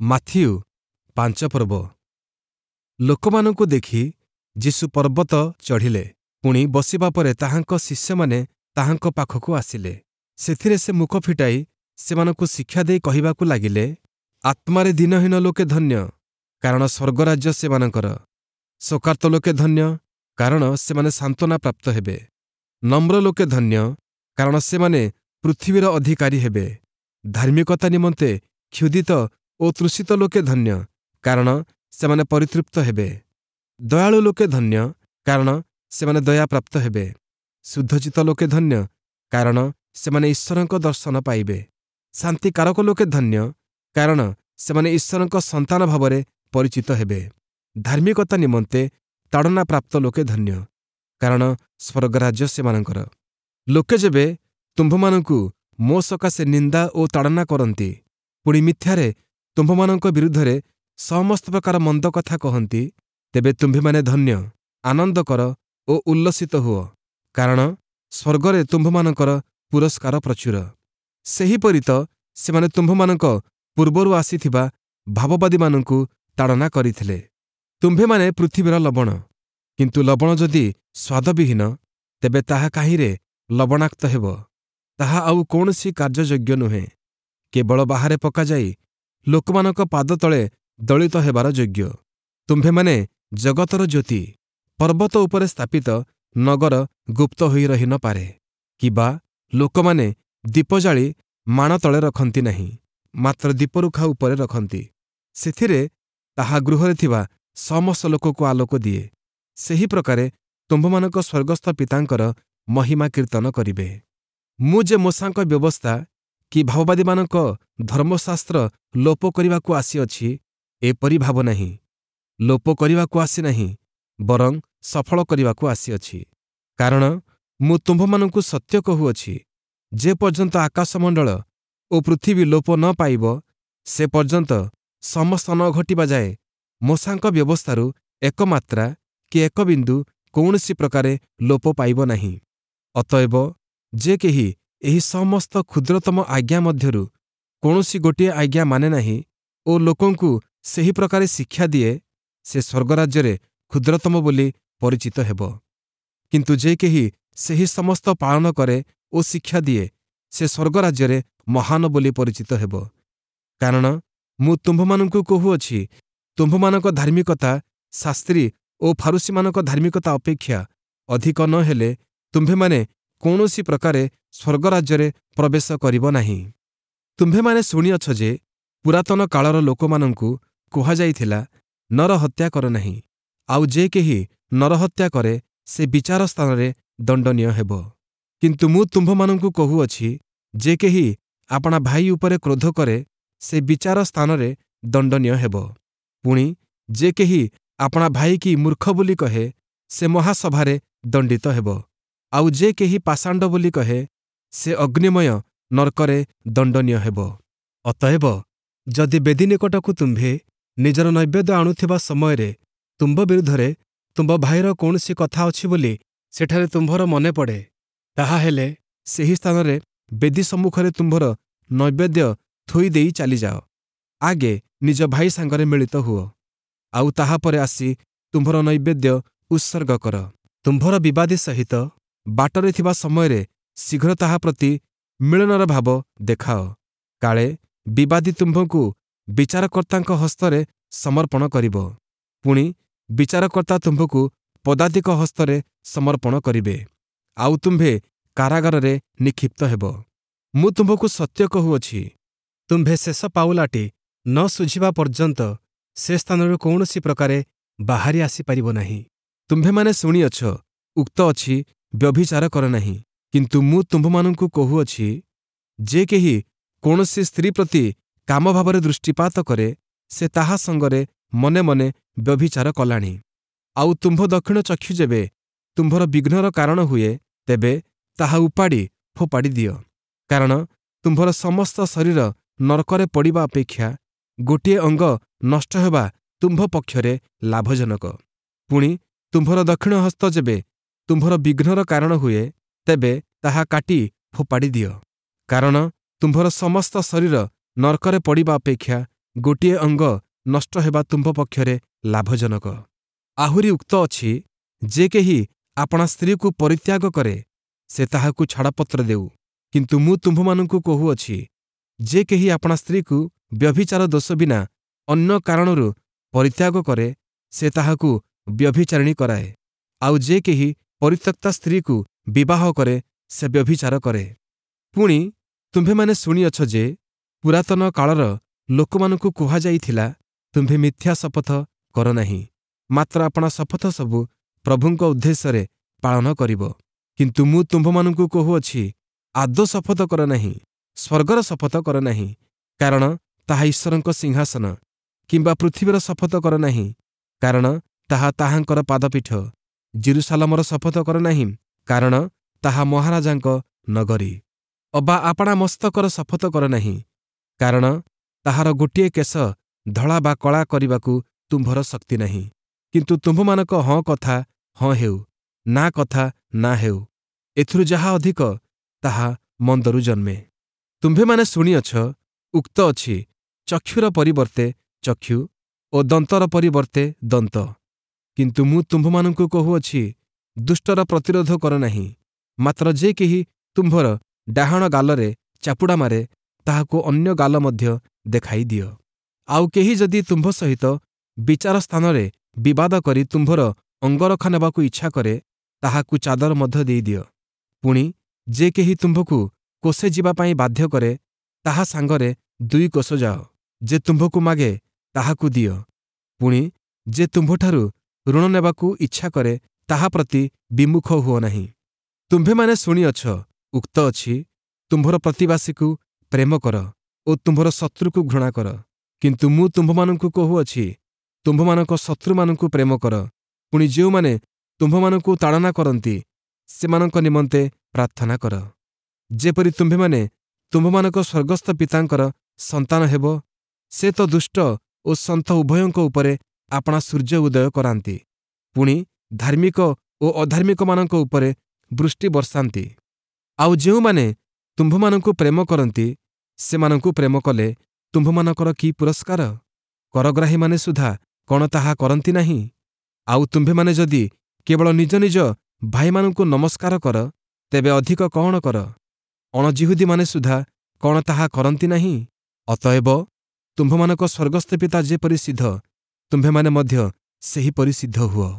Matthew 5 ପର୍ବ। ଲୋକମାନଙ୍କୁ ଦେଖି ଯୀଶୁ ପର୍ବତ ଚଢ଼ିଲେ। ପୁଣି ବସିବା ପରେ ତାହାଙ୍କ ଶିଷ୍ୟମାନେ ତାହାଙ୍କ ପାଖକୁ ଆସିଲେ। ସେଥିରେ ସେ ମୁଖ ଫିଟାଇ ସେମାନଙ୍କୁ ଶିକ୍ଷା ଦେଇ କହିବାକୁ ଲାଗିଲେ, ଆତ୍ମାରେ ଦୀନହୀନ ଲୋକେ ଧନ୍ୟ, କାରଣ ସ୍ୱର୍ଗରାଜ୍ୟ ସେମାନଙ୍କର। ଶୋକାର୍ତ୍ତ ଲୋକେ ଧନ୍ୟ, କାରଣ ସେମାନେ ସାନ୍ତ୍ୱନା ପ୍ରାପ୍ତ ହେବେ। ନମ୍ର ଲୋକେ ଧନ୍ୟ, କାରଣ ସେମାନେ ପୃଥିବୀର ଅଧିକାରୀ ହେବେ। ଧାର୍ମିକତା ନିମନ୍ତେ କ୍ଷୁଧିତ ଓ ତୃଷିତ ଲୋକେ ଧନ୍ୟ, କାରଣ ସେମାନେ ପରିତୃପ୍ତ ହେବେ। ଦୟାଳୁ ଲୋକେ ଧନ୍ୟ, କାରଣ ସେମାନେ ଦୟାପ୍ରାପ୍ତ ହେବେ। ଶୁଦ୍ଧଚିତ୍ତ ଲୋକେ ଧନ୍ୟ, କାରଣ ସେମାନେ ଈଶ୍ୱରଙ୍କ ଦର୍ଶନ ପାଇବେ। ଶାନ୍ତିକାରକ ଲୋକେ ଧନ୍ୟ, କାରଣ ସେମାନେ ଈଶ୍ୱରଙ୍କ ସନ୍ତାନ ଭାବରେ ପରିଚିତ ହେବେ। ଧାର୍ମିକତା ନିମନ୍ତେ ତାଡ଼ନା ପ୍ରାପ୍ତ ଲୋକେ ଧନ୍ୟ, କାରଣ ସ୍ୱର୍ଗରାଜ୍ୟ ସେମାନଙ୍କର। ଲୋକେ ଯେବେ ତୁମ୍ଭମାନଙ୍କୁ ମୋ ସକାଶେ ନିନ୍ଦା ଓ ତାଡ଼ନା କରନ୍ତି, ପୁଣି ମିଥ୍ୟାରେ ତୁମ୍ଭମାନଙ୍କ ବିରୁଦ୍ଧରେ ସମସ୍ତ ପ୍ରକାର ମନ୍ଦ କଥା କହନ୍ତି, ତେବେ ତୁମ୍ଭେମାନେ ଧନ୍ୟ, ଆନନ୍ଦ କର ଓ ଉଲ୍ଲସିତ ହୁଅ, କାରଣ ସ୍ୱର୍ଗରେ ତୁମ୍ଭମାନଙ୍କର ପୁରସ୍କାର ପ୍ରଚୁର। ସେହିପରି ତ ସେମାନେ ତୁମ୍ଭମାନଙ୍କ ପୂର୍ବରୁ ଆସିଥିବା ଭାବବାଦୀମାନଙ୍କୁ ତାଡ଼ନା କରିଥିଲେ। ତୁମ୍ଭେମାନେ ପୃଥିବୀର ଲବଣ, କିନ୍ତୁ ଲବଣ ଯଦି ସ୍ୱାଦବିହୀନ, ତେବେ ତାହା କାହିଁରେ ଲବଣାକ୍ତ ହେବ? ତାହା ଆଉ କୌଣସି କାର୍ଯ୍ୟଯୋଗ୍ୟ ନୁହେଁ, କେବଳ ବାହାରେ ପକାଯାଇ ଲୋକମାନଙ୍କ ପାଦ ତଳେ ଦଳିତ ହେବାର ଯୋଗ୍ୟ। ତୁମ୍ଭେମାନେ ଜଗତର ଜ୍ୟୋତି। ପର୍ବତ ଉପରେ ସ୍ଥାପିତ ନଗର ଗୁପ୍ତ ହୋଇ ରହି ନ ପାରେ। କିବା ଲୋକମାନେ ଦୀପ ଜାଳି ମାଣ ତଳେ ରଖନ୍ତି ନାହିଁ, ମାତ୍ର ଦୀପରୁଖା ଉପରେ ରଖନ୍ତି, ସେଥିରେ ତାହା ଗୃହରେ ଥିବା ସମସ୍ତ ଲୋକକୁ ଆଲୋକ ଦିଏ। ସେହି ପ୍ରକାରେ ତୁମ୍ଭମାନଙ୍କ ସ୍ୱର୍ଗସ୍ଥ ପିତାଙ୍କର ମହିମା କୀର୍ତ୍ତନ କରିବେ। ମୁଁ ଯେ ମୋଶାଙ୍କ ବ୍ୟବସ୍ଥା କି ଭାବବାଦୀମାନଙ୍କ ଧର୍ମଶାସ୍ତ୍ର ଲୋପ କରିବାକୁ ଆସିଅଛି, ଏପରି ଭାବ ନାହିଁ। ଲୋପ କରିବାକୁ ଆସିନାହିଁ, ବରଂ ସଫଳ କରିବାକୁ ଆସିଅଛି। କାରଣ ମୁଁ ତୁମ୍ଭମାନଙ୍କୁ ସତ୍ୟ କହୁଅଛି, ଯେ ପର୍ଯ୍ୟନ୍ତ ଆକାଶମଣ୍ଡଳ ଓ ପୃଥିବୀ ଲୋପ ନ ପାଇବ, ସେ ପର୍ଯ୍ୟନ୍ତ ସମସ୍ତ ନ ଘଟିବା ଯାଏ ମୋଶାଙ୍କ ବ୍ୟବସ୍ଥାରୁ ଏକ ମାତ୍ରା କି ଏକ ବିନ୍ଦୁ କୌଣସି ପ୍ରକାରେ ଲୋପ ପାଇବ ନାହିଁ। ଅତଏବ ଯେ କେହି ଏହି ସମସ୍ତ କ୍ଷୁଦ୍ରତମ ଆଜ୍ଞା ମଧ୍ୟରୁ କୌଣସି ଗୋଟିଏ ଆଜ୍ଞା ମାନେ ନାହିଁ ଓ ଲୋକଙ୍କୁ ସେହି ପ୍ରକାରେ ଶିକ୍ଷା ଦିଏ, ସେ ସ୍ୱର୍ଗରାଜ୍ୟରେ କ୍ଷୁଦ୍ରତମ ବୋଲି ପରିଚିତ ହେବ। କିନ୍ତୁ ଯେ କେହି ସେହି ସମସ୍ତ ପାଳନ କରେ ଓ ଶିକ୍ଷା ଦିଏ, ସେ ସ୍ୱର୍ଗରାଜ୍ୟରେ ମହାନ ବୋଲି ପରିଚିତ ହେବ। କାରଣ ମୁଁ ତୁମ୍ଭମାନଙ୍କୁ କହୁଅଛି, ତୁମ୍ଭମାନଙ୍କ ଧାର୍ମିକତା ଶାସ୍ତ୍ରୀ ଓ ଫାରୂଶୀମାନଙ୍କ ଧାର୍ମିକତା ଅପେକ୍ଷା ଅଧିକ ନ ହେଲେ ତୁମ୍ଭେମାନେ କୌଣସି ପ୍ରକାରେ ସ୍ୱର୍ଗରାଜ୍ୟରେ ପ୍ରବେଶ କରିବ ନାହିଁ। ତୁମ୍ଭେମାନେ ଶୁଣିଅଛ ଯେ ପୁରାତନ କାଳର ଲୋକମାନଙ୍କୁ କୁହାଯାଇଥିଲା, ନରହତ୍ୟା କର ନାହିଁ, ଆଉ ଯେ କେହି ନରହତ୍ୟା କରେ ସେ ବିଚାର ସ୍ଥାନରେ ଦଣ୍ଡନୀୟ ହେବ। କିନ୍ତୁ ମୁଁ ତୁମ୍ଭମାନଙ୍କୁ କହୁଅଛି, ଯେ କେହି ଆପଣା ଭାଇ ଉପରେ କ୍ରୋଧ କରେ, ସେ ବିଚାର ସ୍ଥାନରେ ଦଣ୍ଡନୀୟ ହେବ। ପୁଣି ଯେ କେହି ଆପଣା ଭାଇକି ମୂର୍ଖ ବୋଲି କହେ, ସେ ମହାସଭାରେ ଦଣ୍ଡିତ ହେବ। ଆଉ ଯେ କେହି ପାଷାଣ୍ଡ ବୋଲି କହେ, ସେ ଅଗ୍ନିମୟ ନର୍କରେ ଦଣ୍ଡନୀୟ ହେବ। ଅତଏବ ଯଦି ବେଦୀ ନିକଟକୁ ତୁମ୍ଭେ ନିଜର ନୈବେଦ୍ୟ ଆଣୁଥିବା ସମୟରେ ତୁମ୍ଭ ବିରୁଦ୍ଧରେ ତୁମ୍ଭ ଭାଇର କୌଣସି କଥା ଅଛି ବୋଲି ସେଠାରେ ତୁମ୍ଭର ମନେ ପଡ଼େ, ତାହାହେଲେ ସେହି ସ୍ଥାନରେ ବେଦୀ ସମ୍ମୁଖରେ ତୁମ୍ଭର ନୈବେଦ୍ୟ ଥୋଇ ଦେଇ ଚାଲିଯାଅ। ଆଗେ ନିଜ ଭାଇ ସାଙ୍ଗରେ ମିଳିତ ହୁଅ, ଆଉ ତାହାପରେ ଆସି ତୁମ୍ଭର ନୈବେଦ୍ୟ ଉତ୍ସର୍ଗ କର। ତୁମ୍ଭର ବିବାଦୀ ସହିତ ବାଟରେ ଥିବା ସମୟରେ ଶୀଘ୍ର ତାହା ପ୍ରତି ମିଳନର ଭାବ ଦେଖାଅ, କାଳେ ବିବାଦୀ ତୁମ୍ଭକୁ ବିଚାରକର୍ତ୍ତାଙ୍କ ହସ୍ତରେ ସମର୍ପଣ କରିବ, ପୁଣି ବିଚାରକର୍ତ୍ତା ତୁମ୍ଭକୁ ପଦାତିକ ହସ୍ତରେ ସମର୍ପଣ କରିବେ, ଆଉ ତୁମ୍ଭେ କାରାଗାରରେ ନିକ୍ଷିପ୍ତ ହେବ। ମୁଁ ତୁମ୍ଭକୁ ସତ୍ୟ କହୁଅଛି, ତୁମ୍ଭେ ଶେଷ ପାଉଲାଟି ନ ଶୁଝିବା ପର୍ଯ୍ୟନ୍ତ ସେ ସ୍ଥାନରୁ କୌଣସି ପ୍ରକାରେ ବାହାରି ଆସିପାରିବ ନାହିଁ। ତୁମ୍ଭେମାନେ ଶୁଣିଅଛ, ଉକ୍ତ ଅଛି, ବ୍ୟଭିଚାର କର ନାହିଁ। କିନ୍ତୁ ମୁଁ ତୁମ୍ଭମାନଙ୍କୁ କହୁଅଛି, ଯେ କେହି କୌଣସି ସ୍ତ୍ରୀ ପ୍ରତି କାମ ଭାବରେ ଦୃଷ୍ଟିପାତ କରେ, ସେ ତାହା ସଙ୍ଗରେ ମନେ ମନେ ବ୍ୟଭିଚାର କଲାଣି। ଆଉ ତୁମ୍ଭ ଦକ୍ଷିଣ ଚକ୍ଷୁ ଯେବେ ତୁମ୍ଭର ବିଘ୍ନର କାରଣ ହୁଏ, ତେବେ ତାହା ଉପାଡ଼ି ଫୋପାଡ଼ି ଦିଅ। କାରଣ ତୁମ୍ଭର ସମସ୍ତ ଶରୀର ନରକରେ ପଡ଼ିବା ଅପେକ୍ଷା ଗୋଟିଏ ଅଙ୍ଗ ନଷ୍ଟ ହେବା ତୁମ୍ଭ ପକ୍ଷରେ ଲାଭଜନକ। ପୁଣି ତୁମ୍ଭର ଦକ୍ଷିଣ ହସ୍ତ ଯେବେ ତୁମ୍ଭର ବିଘ୍ନର କାରଣ ହୁଏ, ତେବେ ତାହା କାଟି ଫୋପାଡ଼ି ଦିଅ। କାରଣ ତୁମ୍ଭର ସମସ୍ତ ଶରୀର ନରକରେ ପଡ଼ିବା ଅପେକ୍ଷା ଗୋଟିଏ ଅଙ୍ଗ ନଷ୍ଟ ହେବା ତୁମ୍ଭ ପକ୍ଷରେ ଲାଭଜନକ। ଆହୁରି ଉକ୍ତ ଅଛି, ଯେ କେହି ଆପଣା ସ୍ତ୍ରୀକୁ ପରିତ୍ୟାଗ କରେ, ସେ ତାହାକୁ ଛାଡ଼ପତ୍ର ଦେଉ। କିନ୍ତୁ ମୁଁ ତୁମ୍ଭମାନଙ୍କୁ କହୁଅଛି, ଯେ କେହି ଆପଣା ସ୍ତ୍ରୀକୁ ବ୍ୟଭିଚାର ଦୋଷ ବିନା ଅନ୍ୟ କାରଣରୁ ପରିତ୍ୟାଗ କରେ, ସେ ତାହାକୁ ବ୍ୟଭିଚାରିଣୀ କରାଏ। ଆଉ ଯେ କେହି ପରିତ୍ୟକ୍ତା ସ୍ତ୍ରୀକୁ ବିବାହ କରେ, ସେ ବ୍ୟଭିଚାର କରେ। ପୁଣି ତୁମ୍ଭେମାନେ ଶୁଣିଅଛ ଯେ ପୁରାତନ କାଳର ଲୋକମାନଙ୍କୁ କୁହାଯାଇଥିଲା, ତୁମ୍ଭେ ମିଥ୍ୟା ଶପଥ କର ନାହିଁ, ମାତ୍ର ଆପଣା ଶପଥ ସବୁ ପ୍ରଭୁଙ୍କ ଉଦ୍ଦେଶ୍ୟରେ ପାଳନ କରିବ। କିନ୍ତୁ ମୁଁ ତୁମ୍ଭମାନଙ୍କୁ କହୁଅଛି, ଆଦୌ ଶପଥ କର ନାହିଁ, ସ୍ୱର୍ଗର ଶପଥ କର ନାହିଁ, କାରଣ ତାହା ଈଶ୍ୱରଙ୍କ ସିଂହାସନ, କିମ୍ବା ପୃଥିବୀର ଶପଥ କର ନାହିଁ, କାରଣ ତାହା ତାହାଙ୍କର ପାଦପୀଠ, ଯିରୂଶାଲମର ଶପଥ କର ନାହିଁ, କାରଣ ତାହା ମହାରାଜାଙ୍କ ନଗରୀ। ଅବା ଆପଣା ମସ୍ତକର ଶପଥ କର ନାହିଁ, କାରଣ ତାହାର ଗୋଟିଏ କେଶ ଧଳା ବା କଳା କରିବାକୁ ତୁମ୍ଭର ଶକ୍ତି ନାହିଁ। କିନ୍ତୁ ତୁମ୍ଭମାନଙ୍କ ହଁ କଥା ହଁ ହେଉ, ନା କଥା ନା ହେଉ। ଏଥିରୁ ଯାହା ଅଧିକ ତାହା ମନ୍ଦରୁ ଜନ୍ମେ। ତୁମ୍ଭେମାନେ ଶୁଣିଅଛ, ଉକ୍ତ ଅଛି, ଚକ୍ଷୁର ପରିବର୍ତ୍ତେ ଚକ୍ଷୁ ଓ ଦନ୍ତର ପରିବର୍ତ୍ତେ ଦନ୍ତ। କିନ୍ତୁ ମୁଁ ତୁମ୍ଭମାନଙ୍କୁ କହୁଅଛି, ଦୁଷ୍ଟର ପ୍ରତିରୋଧ କର ନାହିଁ, ମାତ୍ର ଯେ କେହି ତୁମ୍ଭର ଡାହାଣ ଗାଲରେ ଚାପୁଡ଼ା ମାରେ, ତାହାକୁ ଅନ୍ୟ ଗାଲ ମଧ୍ୟ ଦେଖାଇ ଦିଅ। ଆଉ କେହି ଯଦି ତୁମ୍ଭ ସହିତ ବିଚାର ସ୍ଥାନରେ ବିବାଦ କରି ତୁମ୍ଭର ଅଙ୍ଗରଖା ନେବାକୁ ଇଚ୍ଛା କରେ, ତାହାକୁ ଚାଦର ମଧ୍ୟ ଦେଇଦିଅ। ପୁଣି ଯେ କେହି ତୁମ୍ଭକୁ କୋଷେ ଯିବା ପାଇଁ ବାଧ୍ୟ କରେ, ତାହା ସାଙ୍ଗରେ 2 କୋଶ ଯାଅ। ଯେ ତୁମ୍ଭକୁ ମାଗେ, ତାହାକୁ ଦିଅ। ପୁଣି ଯେ ତୁମ୍ଭଠାରୁ ଋଣ ନେବାକୁ ଇଚ୍ଛା କରେ, ତାହା ପ୍ରତି ବିମୁଖ ହୁଅ ନାହିଁ। ତୁମ୍ଭେମାନେ ଶୁଣିଅଛ, ଉକ୍ତ ଅଛି, ତୁମ୍ଭର ପ୍ରତିବାସୀକୁ ପ୍ରେମ କର ଓ ତୁମ୍ଭର ଶତ୍ରୁକୁ ଘୃଣା କର। କିନ୍ତୁ ମୁଁ ତୁମ୍ଭମାନଙ୍କୁ କହୁଅଛି, ତୁମ୍ଭମାନଙ୍କ ଶତ୍ରୁମାନଙ୍କୁ ପ୍ରେମ କର, ପୁଣି ଯେଉଁମାନେ ତୁମ୍ଭମାନଙ୍କୁ ତାଡ଼ନା କରନ୍ତି, ସେମାନଙ୍କ ନିମନ୍ତେ ପ୍ରାର୍ଥନା କର। ଯେପରି ତୁମ୍ଭେମାନେ ତୁମ୍ଭମାନଙ୍କ ସ୍ୱର୍ଗସ୍ଥ ପିତାଙ୍କର ସନ୍ତାନ ହେବ, ସେ ତ ଦୁଷ୍ଟ ଓ ସନ୍ଥ ଉଭୟଙ୍କ ଉପରେ ଆପଣା ସୂର୍ଯ୍ୟ ଉଦୟ କରାନ୍ତି, ପୁଣି ଧାର୍ମିକ ଓ ଅଧାର୍ମିକମାନଙ୍କ ଉପରେ ବୃଷ୍ଟି ବର୍ଷାନ୍ତି। ଆଉ ଯେଉଁମାନେ ତୁମ୍ଭମାନଙ୍କୁ ପ୍ରେମ କରନ୍ତି, ସେମାନଙ୍କୁ ପ୍ରେମ କଲେ ତୁମ୍ଭମାନଙ୍କର କି ପୁରସ୍କାର? କରଗ୍ରାହୀମାନେ ସୁଦ୍ଧା କ'ଣ ତାହା କରନ୍ତି ନାହିଁ? ଆଉ ତୁମ୍ଭେମାନେ ଯଦି କେବଳ ନିଜ ନିଜ ଭାଇମାନଙ୍କୁ ନମସ୍କାର କର, ତେବେ ଅଧିକ କ'ଣ କର? ଅଣଜିହୁଦୀମାନେ ସୁଦ୍ଧା କ'ଣ ତାହା କରନ୍ତି ନାହିଁ? ଅତଏବ ତୁମ୍ଭମାନଙ୍କ ସ୍ୱର୍ଗସ୍ଥ ପିତା ଯେପରି ସିଦ୍ଧ, ତୁମ୍ଭେମାନେ ମଧ୍ୟ ସେହିପରି ସିଦ୍ଧ ହୁଅ।